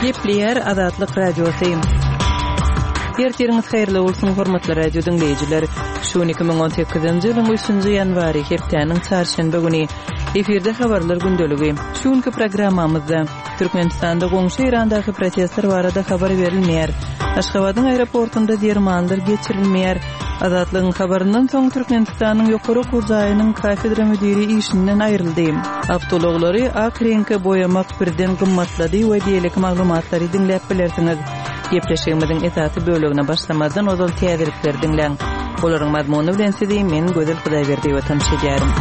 Gepleýär Azatlyk Radiosy. Ertiriňiz haýyrly bolsun, hormatly radio diňleýjiler. Şu gün 2018-nji ýylyň 3-nji ýanwary, hepdäniň çarşenbe güni. Efirde habarlar gündeligi. Şu günki programmamyzda Türkmenistanda goňşy Eýrandaky protestler barada habar berilmeýär. Aşgabadyň aeroportunda dermanlar geçirilmeýär. Azatlygyň habaryndan soň Türkmenistanyň ýokary okuw jaýynyň kafedra müdiri işinden aýryldy. Awtoulaglary ak reňke boýamak birden gymmatlady we beýleki maglumatlary diňläp bilersiňiz. Gepleşigimiziň esasy bölegine başlamazdan ozal täzelikleri diňläň. Olaryň mazmuny bilen sizi men Gözel Hudaýberdiýewa tanyş edýärin.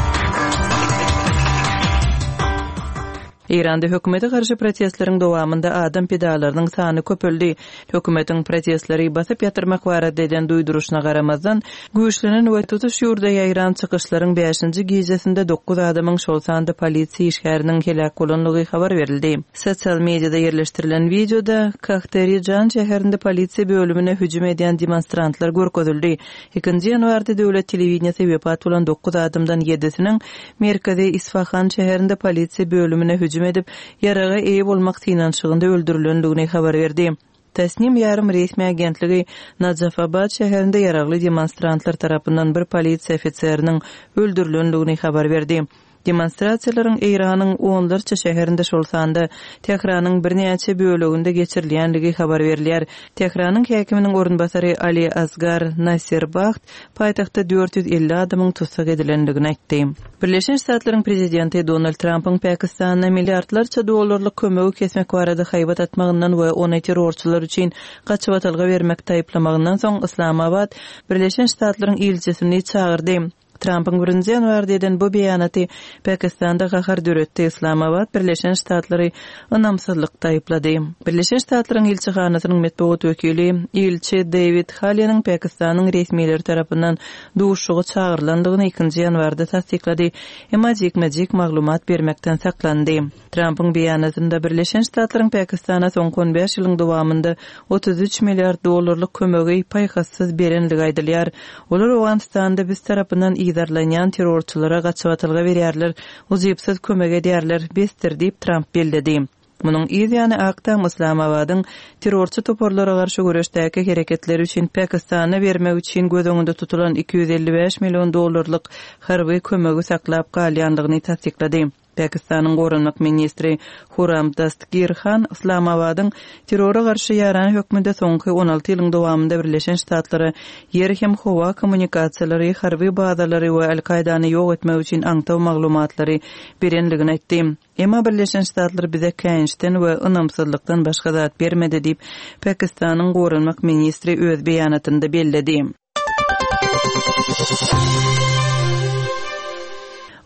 Eýranda hökümete garşy protestleriň dowamynda adam pidalarynyň sany köpeldi. Hökümetiň protestleri basyp ýatyrmak barada eden duýduryşyna garamazdan, güýçlenen we tutuş ýurda ýaýran çykyşlaryň bäşinji gijesinde dokuz adamyň, şol sanda polisiýa işgäriniň heläk bolandygy habar berildi. Sosial mediada ýerleşdirilen wideoda Kahterijan şäherinde polisiýa bölümine hüjüm edýän demonstrantlar görkezildi. Ikinji ýanwarda döwlet telewideniýesi wepat bolan dokuz adamdan ýedisiniň Merkezi Isfahan şäherinde polisiýa bölümine hüjüm edip, ýaraga eýe bolmak synanyşygynda öldürilendigini habar berdi. Tasnim ýarym resmi agentligi Najafabad şäherinde ýaragly demonstrantlar tarapyndan bir polisiýa ofiseriniň öldürilendigini habar berdi. Demonstrasiýalaryň Eýranyň onlarça şäherinde, şol sanda Tähranyň birnäçe böleginde geçirilýändigi habar berilýär. Tähranyň häkiminiň orunbasary Ali Asgar Nasirbaht paýtagtda 450 adamyň tussag edilendigini aýtdy. Birleşen Ştatlaryň prezidenti Donald Trampyň Pakistana milliardlarça dollarlyk kömegi kesmek barada haýbat atmagyndan we ony terrorçylar üçin gaçybatalga bermekde aýyplamagyndan soň Yslamabat Birleşen Ştatlaryň ilçisini çagyrdy. Trampyň birinji ýanwarda eden bu beýanaty Pakistanda gahar döretdi, Yslamabat Birleşen Ştatlary ynamsyzlykda aýyplady. Birleşen Ştatlaryň ilçihanasynyň metbugat wekili, ilçi Deýwid Haleniň Pakistanyň resmileri tarapyndan duşuşyga çagyrylandygyny ikinji ýanwarda tassyklady, emma jikme-jik maglumat bermekden saklandy. Trampyň beýanatynda Birleşen Ştatlaryň Pakistana soňky on bäş ýylyň dowamynda 33 milliard dollarlyk kömegi paýhassyz berendigi aýdylýar. Olar Owganystanda biz tarapyndan yzarlanýan terrorçylara gaçybatalga berýärler, ujypsyz kömek edýärler, besdir diýip, Tramp belledi. Munuň yz ýany Ak Tam Yslamabadyň terrorçy toparlara garşy göreşdäki hereketleri üçin Pakistana bermek üçin göz öňünde tutulan 255 million dollarlyk harby kömegi saklap galýandygyny tassyklady. Pakistanyň goranmak ministri Huram Dastgir Han Yslamabadyň terrora garşy ýaran hökmünde soňky 16 ýylyň dowamynda Birleşen Ştatlara ýer hem howa kommunikasiýalary, harby bazalary we Al-Kaýdany ýok etmek üçin aňtaw maglumatlary berendigini aýtdy. Emma Birleşen Ştatlar bize käýinçden we ynamsyzlykdan başga zat bermedi diýip, Pakistanyň goranmak ministri öz beýanatynda belledi.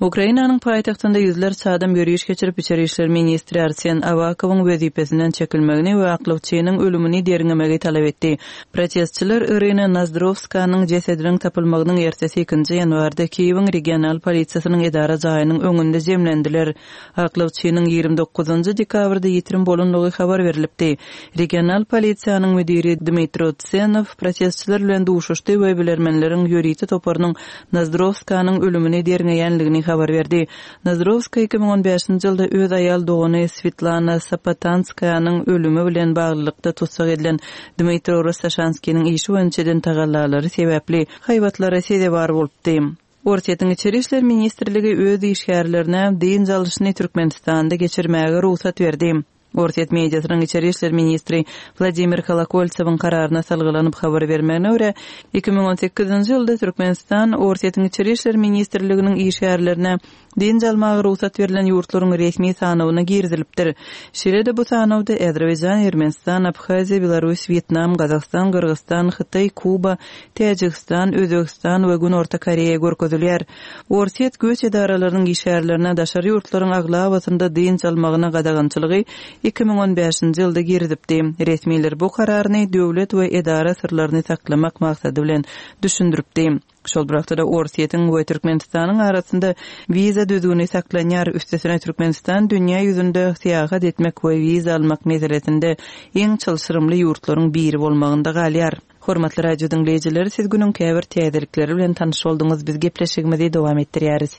Ukrainanyň paýtagtynda ýüzlerçe adam ýöriş geçirip, içeri işler ministri Arsen Awakowyň wezipesinden çekilmegini we aklawçynyň ölümini derňemegi talap etdi. Protestçiler Irina Nozdrowskanyň jesediniň tapylmagynyň ertesi ikinji ýanwarda Kiýewiň regional polisiýasynyň edara jaýynyň öňünde jemlendiler. Aklawçynyň 29 dekabrda ýitirim bolandygy habar berlipdi. Regional polisiýanyň müdiri Dmitro Tsenow protestçiler bilen duşuşdy we bilermenleriň ýörite toparynyň Nozdrowskanyň ölümini derňeýändigini habar berdi. Nozdrowska 2015-nji ýylda öz aýal dogany Swetlana Sapotanskaýanyň ölümi bilen baglylykda tussag edilen Dmitro Rostoşanskiniň işi boýunça eden tagallalary sebäpli haýbatlara sezewar bolupdy. Orsýetiň Içeri işler ministrligi öz işgärlerine dynç alyşyny Türkmenistanda geçirmäge rugsat berdi. Orsýet mediasynyň içeri işler ministri Wladimir Kolokoltsewiň kararyna salgylanyp habar bermegine görä, 2018-nji ýylda Türkmenistan Orsýetiň Içeri işler ministrliginiň işgärlerine dynç almaga rugsat berlen ýurtlaryň resmi sanawyna girizilipdir. Şeýle-de bu sanawda Azerbaýjan, Ermenistan, Abhaziýa, Belarus, Wýetnam, Gazagystan, Gyrgyzystan, Hytaý, Kuba, Täjigistan, Özbegistan we Günorta Koreýa görkezilýär. Orsýet göç edaralarynyň işgärlerine daşary ýurtlaryň aglabasynda dynç almagyna gadagançylygy 2015-nji ýylda girizipdi. Resmiler bu kararyny döwlet we edara syrlaryny saklamak maksady bilen düşündiripdi. Şol bir wagtda-da Orsýetiň we Türkmenistanyň arasynda wiza düzgüni saklanýar, üstesine Türkmenistan dünýä ýüzünde syýahat etmek we wiza almak meselesinde iň çylşyrymly ýurtlaryň biri bolmagynda galýar. Hormatly radio diňleýjiler, siz günüň käbir täzelikleri bilen tanyş bolduňyz, biz gepleşigimizi dowam etdirýäris.